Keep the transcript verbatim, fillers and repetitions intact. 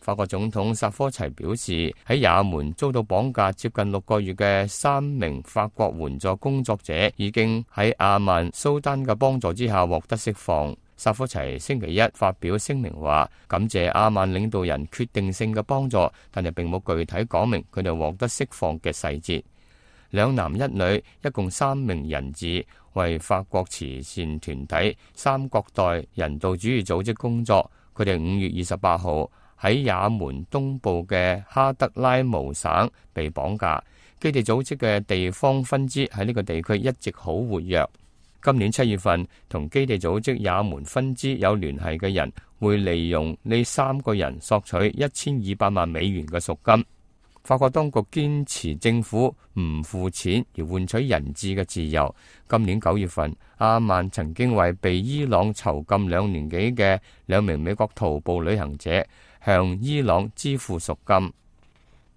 法國總統薩科齊表示，喺也門遭到綁架接近六個月嘅三名法國援助工作者已經喺阿曼蘇丹嘅幫助之下獲得釋放。薩科齊星期一發表聲明話，感謝阿曼領導人決定性嘅幫助，但係並冇具體講明佢哋獲得釋放嘅細節。兩男一女，一共三名人質，為法國慈善團體三角代人道主義組織工作。佢哋五月二十八號喺也門東部嘅哈德拉姆省被綁架。基地組織嘅地方分支喺呢個地區一直好活躍。今年七月份，同基地組織也門分支有聯繫嘅人會利用呢三個人索取一千二百萬美元嘅贖金。法國當局堅持政府唔付錢而換取人質嘅自由。今年九月份，阿曼曾經為被伊朗囚禁兩年幾嘅兩名美國徒步旅行者向伊朗支付贖金。